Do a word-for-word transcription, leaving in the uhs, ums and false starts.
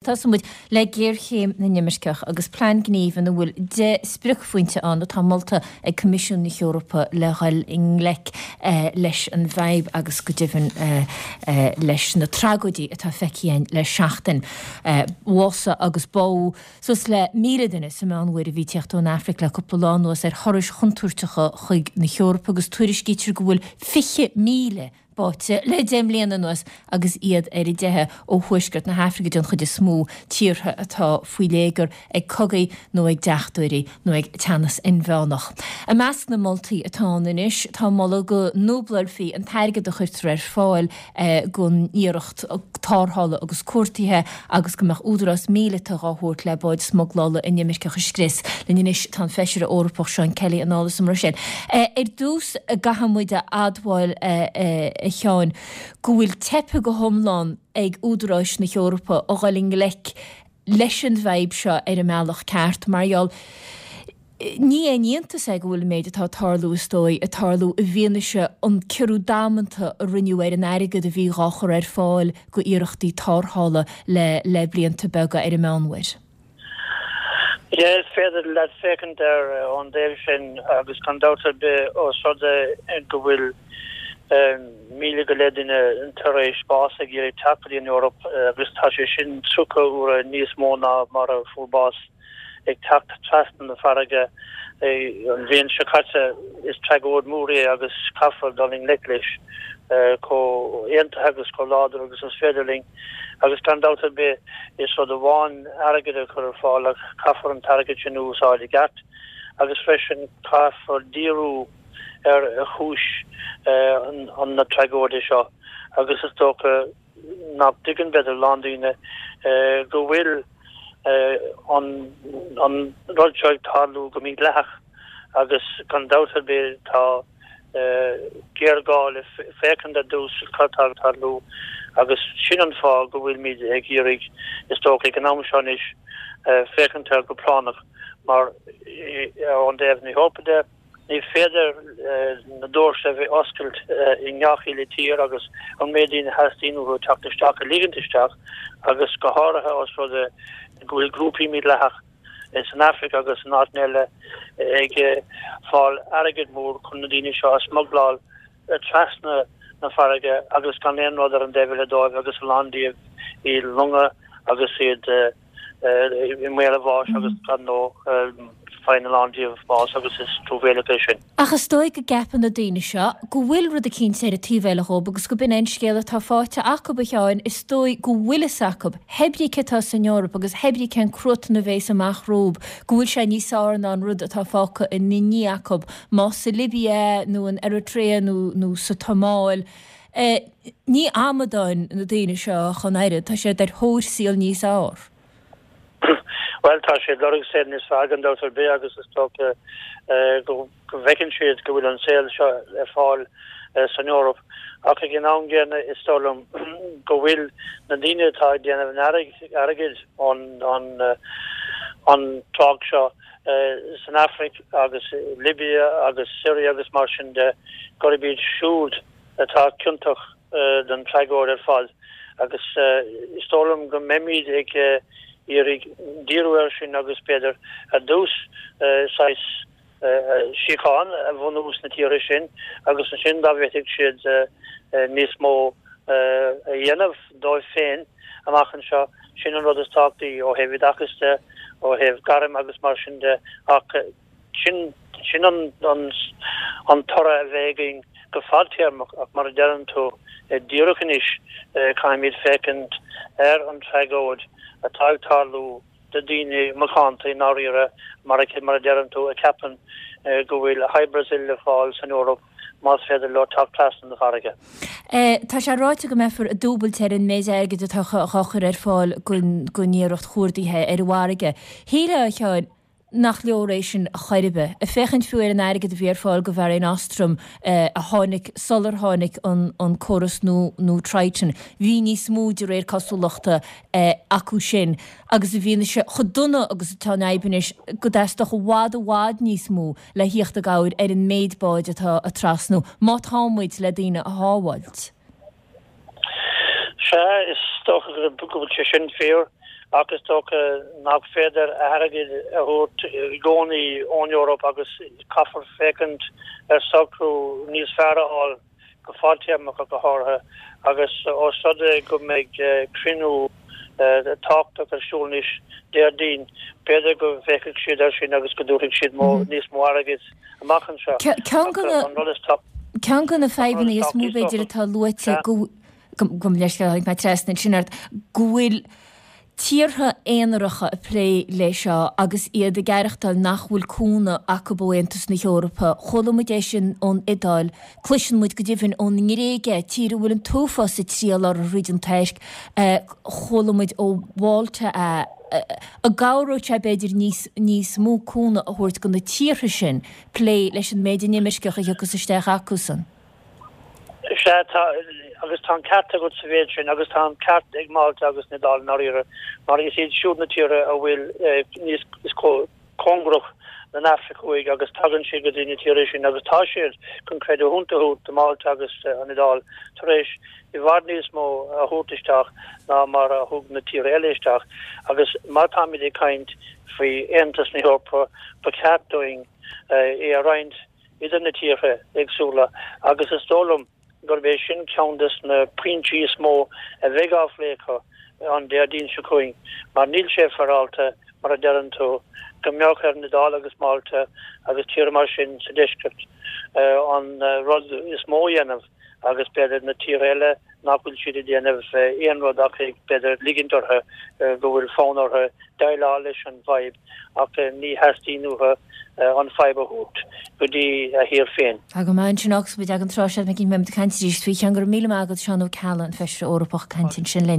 Tosaíonn muid le géarchéim na n-imirceach agus plean gnímh ina bhfuil deich spriocphointe ann atá molta ag Coimisiún na hEorpa le dhul i ngleic leis an bhfadhb agus go deimhin leis na tragóidí atá feicthe againn le seachtain. Bhásaigh agus bádh suas le míle duine sa Meánmhuir a bhí ag tíocht ón Afraic le cúpla lá anuas ar thurais chontúirteacha chuig na hEorpa agus tuairiscítear go bhfuil fiche míle báite le deich mbliana anuas agus iad ar a dteitheadh ó thuaisceart na hAfraice den chuid is mó, tíortha atá faoi léigear ag cogaí nó ag deachtóirí nó ag teannas inmheánach. I measc na moltaí atá ann anois tá moladh go ndúblálfaí an t-airgead a chuirtear ar fáil don iarracht tarrthála agus cuartaithe agus go mbeadh údarás míleata dhá thabhairt le báid smuglála inimirceach a scrios. Linn anois tá an Feisire Eorpach Seán Kelly anall as an mBruiséil. Ar dtús, caithfidh muid a admháil, a Sheáin, go bhfuil teipthe go hiomlán ag údaráis na hEorpa a dhul i ngleic leis an bhfadhb seo ar an mbealach ceart mar gheall ní haon iontas é go bhfuil an méid atá ag tarlú is dóigh ag tarlú i bhfianaise an ciorrú damanta a rinneadh ar an airgead a bhí dhá chur ar fáil go iarrachtaí tarrthála le le blianta beaga ar an Meánmhuir. Is féidir leat féachaint air ón dtaobh sin agus gan dabht ar bith ós rud é go bhfuil míle go leith duine tar éis bás ag iarraidh teacht go dtí an Eoraip agus tá sé sin tríocha uaire níos mó ná mar a fuair bás ag teacht trasna na farraige an bhliain seo caite. Is tragóid mhór é agus caithfear dul i ngleic leis chomh aontaithe agus chomh láidir agus is féidir linn agus gan dabht ar bith is rud amháin airgead a chur ar fáil ach caithfear an t-airgead sin a úsáid i gceart agus freisin caithfear díriú ar chúis na tragóide seo agus is dócha nach dtuigeann b'fhéidir a lán daoine go bhfuil an rud seo ag tarlú go mídhleathach agus gan dabht ar bith tá géarghá le féachaint ar dtús cad tá ag tarlú agus sin an fáth go bhfuilimid ag iarraidh, is dócha, ag an am seo anois, féachaint air go práinneach mar ón dtaobh na hEorpa de, ní féidir na doirse a bheith oscailt i ngach uile tír agus an méid daoine a theastaíonn uathu teacht isteach a ligint isteach agus go háirithe os rud é go bhfuil grúpaí mídhleathach san Afraic agus in áiteanna eile ag fáil airgead mór chun na daoine seo a smugláil trasna na farraige agus gan aon rud ar an dtaobh eile dóibh agus a lán díobh i longa agus iad i mbaol a bháis agus gan nó faigheann a lán díobh bás agus is truamhéalach é sin. Ach is dóigh go gceapann na daoine seo go bhfuil rud eicínt ar an taobh eile dhób agus go b'in é an scéal atá faighte acu, a Sheáin. Is dóigh go bhfuil fhios acu, hebrí cé atá san Eoraip agus hebrí cén cruatan a bhéas amach rompu, go bhfuil sé níos fearr ná an rud atá fágtha ina ndiaidh acu, más sa Libia nó in Eritrea nó nó sa tSomáil. Ní amadáin na daoine seo ach an oiread, tá siad ar thóir saol níos fearr. Bhuel, tá siad ag lorg saol níos fearr gan dabht ar bith agus is dócha go bhfeiceann siad go bhfuil an saol seo ar fáil san Eoraip. Ach ag an am gcéanna is dóigh liom go bhfuil na daoine atá ag déanamh an airgid ón an trácht seo san Afraic agus Libia agus Syria agus mar sin de, gurb iad siúd atá ciontach don tragóid ar fad agus is dóigh liom go mbeimid ag iarraidh díriú air sin agus b'fhéidir ar dtús saghas síocháin a bhunú sna tíortha sin agus ansin dá bhféadfadh siad níos mó a dhéanamh dóibh féin amach anseo, sin an rud is tábhachtaí ó thaobh oideachais de, ó thaobh gairm agus mar sin de ach Sin sin an an toradh a bheidh againn go fadtéarmach ach mar a deireann tú, díreach anois caithfimid féachaint ar an tragóid atá ag tarlú do daoine macánta i ndáiríre mar a mar a deireann tú a cheapann go bhfuil Hy Brasil le fáil san Eoraip más féidir leo teacht trasna na farraige. Tá sé ráite go mbeifear ag dúbailt ar an méid airgid atá á chur ar fáil don iarracht chuardaithe ar an bhfarraige. Shílfeá, a Sheáin, nach leor é sin chor ar bith. Ag féachaint fiú ar an airgead a bhí ar fáil go Mhare Nostrum a tháinig sular tháinig an córas nó nó Triton, bhí níos mó de réir cosúlachta acu sin agus i bhfianaise chomh dona agus atá an fhadhb anois go dteastódh i bhfad i bhfad níos mó le thíocht i gcabhair ar an méid báid atá ag trasnú má tá muid le daoine a shábháilt. Sea, is dócha go bhfuil sé sin fíor Ach is dócha nach féidir airgead a thabhairt i gcónaí ón Eoraip agus caithfear féachaint ar socrú níos fearr a fháil go fadtéarmach go háirithe agus os rud é go mbeidh cruinniú tábhachtach ar siúl anois Déardaoin, b'fhéidir go bhféachfaidh siad air sin agus go dtabharfaidh siad níos mó airgid amach anseo. Ceann de na fadhbanna is mó b'fhéidir atá luaite go gabh mo leithscéal tháinig mé trasna ansin ort, go bhfuil tíortha aonaracha ag plé leis seo agus iad ag aireachtáil nach bhfuil cúnamh acu ó Aontas na hEorpa. Chuala muid é sin ón Iodáil, cloiseann muid go deimhin ón nGréig é, tír a bhfuil an t-uafás ag triall orthu thríd an Tuirc, chuala muid ó Mhálta é. An gcabhródh sé b'fhéidir níos níos mó cúnamh a thabhairt do na tíortha sin plé leis an méid inimirceach a thiocfas isteach acusan? Sea, tá, agus tá an ceart agat sa mhéid sin, agus tá an ceart ag Málta agus an Iodáil i ndáiríre, mar is iad siúd na tíortha a bhfuil níos, is cóngarach don Afraic Thuaidh agus tagann siad go dtí na tíortha sin agus tá siad, chun creidiúint a thabhairt do Málta agus an Iodáil, tar éis i bhfad níos mó a thabhairt isteach ná mar a thug na tíortha eile isteach. Agus má táimid ag caint faoi Aontas na hEorpa, ba cheart dúinn é a roinnt idir na tíortha éagsúla agus is dóigh liom gurb é sin ceann des na pointí is mó a bheidh á phlé acu an Déardaoin seo chugainn mar níl sé féaráilte, mar a deireann tú, go mbeadh ar an Iodáil agus Málta agus tíortha mar sin sa deisceart an rud is mó a dhéanamh agus b'fhéidir na tíortha eile nach bhfuil siad ag déanamh aon rud ach ag b'fhéidir ligint orthu go bhfuil fonn orthu déileáil leis an bhfadhb ach ní theastaíonn uathu an fadhb a thabhairt go dtí a thír féin. Tá go maith ansin agus muid ag an tráth seo, beidh muid ag caint arís faoi. Go raibh míle maith agat, Seán Ó Ceallaigh, an Feisire Eorpach, ag caint ansin linn.